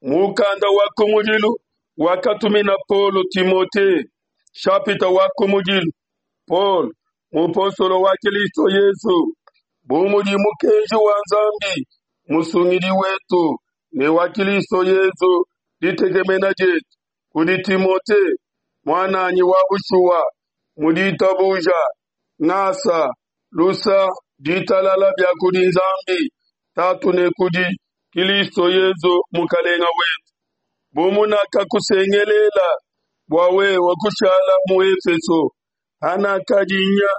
Mukanda wa kumudilu wakatumina Paulo Timote, shapita wa kumudilu. Paulo, mupostolo wa Kilisto Yesu, bu mudi mukenji wa Nzambi Musungidi wetu ne wa Kilisto Yesu ditekemena dietu, kudi Timote, muananyi wa bushuwa mu ditabuja, ngasa, lusa, ditalala bia kudi Nzambi Tatu ne kudi Kilisto Yesu Mukalenga wetu. Bu munakakusengelela bua wewe kushala mu Efeso, hanakadi nya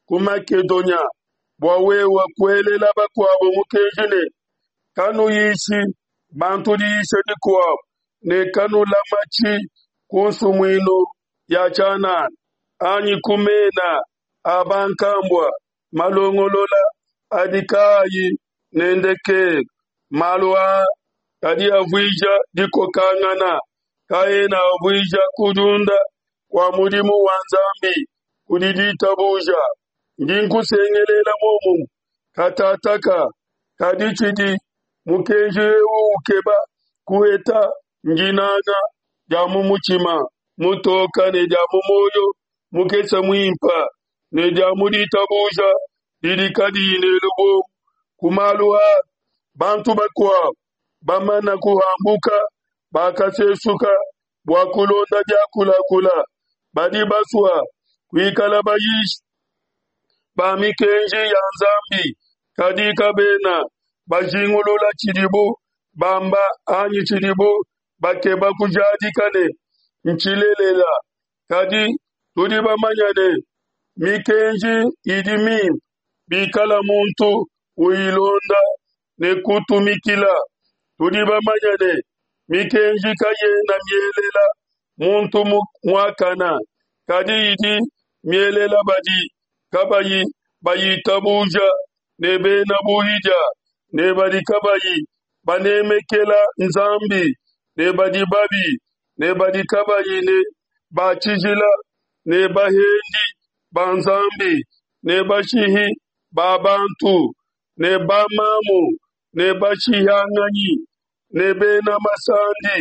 ku Makedonia, bua wewe kuelela bakuabo mukenji ne, Kanuyishi bantu diyisha dikuabo, ne kanulamatshi ku nsumuinu ya tshianana, anyi ku mena a bankambua malongolola adi kaayi ne ndekelu. Malu aa adi avuija dikokangana, kaena avuija kudiunda kua mudimu wa Nzambi kudi ditabuja. Ndi nkusengelela muomumue katataka, kadi tshidi mukenji eu ukeba kuheta ndinanga dia mu mutshima mutoka ne dia mu muoyo mukese muimpe ne dia mu ditabuja didi kadiyi ne lubombo. Ku malu aa bantu bakuabo bamana kuhambuka, bakasesuka bua kulonda biakulakula. Badi basua kuikala bayishi ba mikenji ya Nzambi, kadi kabena bajingulula tshidibu bamba anyi tshidibu bakeba kujadika ne, ntshilelela. Kadi tudi bamanye ne, mikenji idi mimpe bikala muntu uyilonda ne kutumikila. Tudi bamanye ne, mikenji kayena mielela muntu muakana, kadi idi mielela badi kabayi bayitabuja ne bena buhidia ne badi kabayi banemekela Nzambi ne badi babi ne badi kabayi ne ba tshijila ne bahendi ba Nzambi ne bashihi ba bantu ne bamamu ne bashihanganyi ne bena masandi,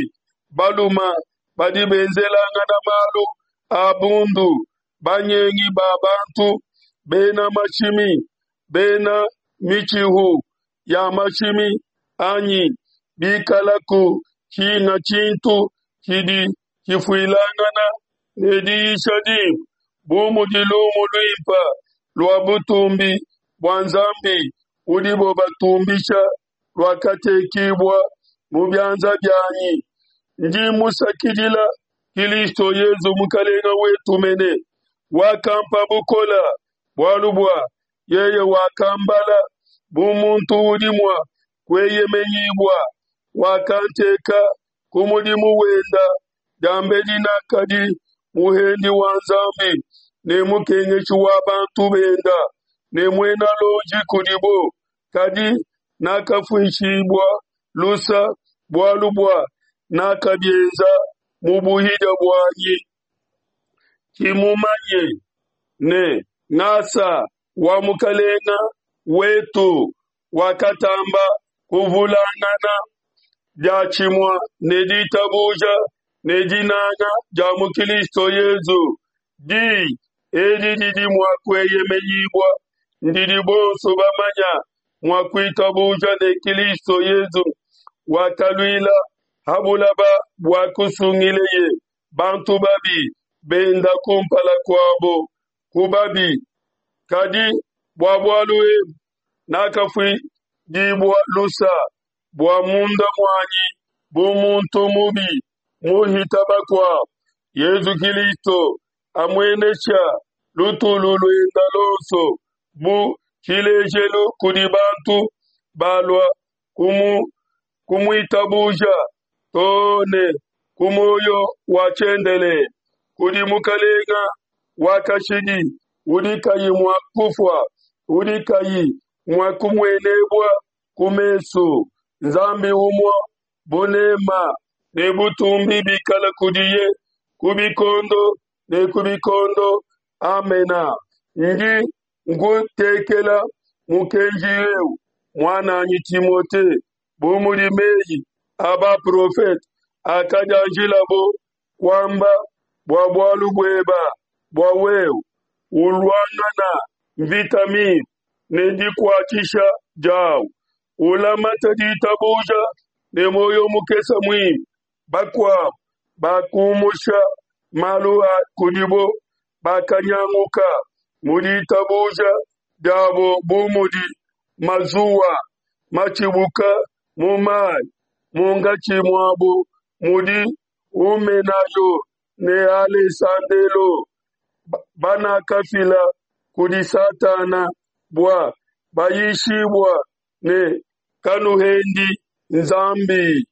baluma badi benzelangana malu a bundu, banyengi ba bantu, bena mashimi, bena mitshihu ya mashimi, anyi bikalaku tshinga tshintu tshidi tshifuilangana ne diyisha dimpe, bu mudi lumu luimpe lua butumbi bua Nzambi udibo batumbisha luakatekibua mu bianza bianyi. Ndi musakidila Kilisto Yezu Mukalenga wetu mene, wakampa bukola, bualu bua yeye wakambala bu muntu udi mua kueyemenyibua, wakanteka ku mudimu wenda diambedi nakadi muhendi wa Nzambi ne mukengeshi wa bantu benda ne muena lonji kudibo, kadi nakafuishibua lusa bualu bua nakabienza mu buhidia buanyi. Tshimumanye ne ngasa wa Mukalenga wetu wakatamba kuvulangana diatshimue ne ditabuja ne dinanga dia mu Kilisto Yezu. Diyi edi didi mua kueyemenyibua ndidi bonso bamanya mua kuitabuja ne Kilisto Yezu wakaluila ha bulaba bua kusungileye bantu babi benda kumpala kuabo ku babi. Kadi bua bualu ebu nakafuidibua lusa bua munda muanyi bu muntu mubi muhita bakuabo. Yezu Kilisto amuenesha lutulu luenda lonso bu tshilejelu kudi bantu balua kumuitabuja too ne ku muoyo wa tshiendelele kudi Mukalenga wa kashidi udi kayi mua kufua, udi kayi mua kumuenebua ku mesu, Nzambi umue, bunema ne butumbi bikala kudiye ku bikondo ne ku bikondo. Amena. Ndi nkutekela mukenji eu, muananyi Timote, bu mudi meyi. a baprofete akadianjilabo kuamba bua bualu bueba, bua wewe uluangana mvita mimpe ne dikuatshisha diawu, ulamate ditabuja ne muoyo mukese muimpe. Bakuabo bakumusha malu a kudibo bakanyanguka mu ditabuja diabo bu mudi mazuwa matshibuka mu mayi. Munkatshi muabo mudi Humenayo ne Alesandelo, banakafila kudi Satana bua bayishibua ne, Kanuhendi Nzambi.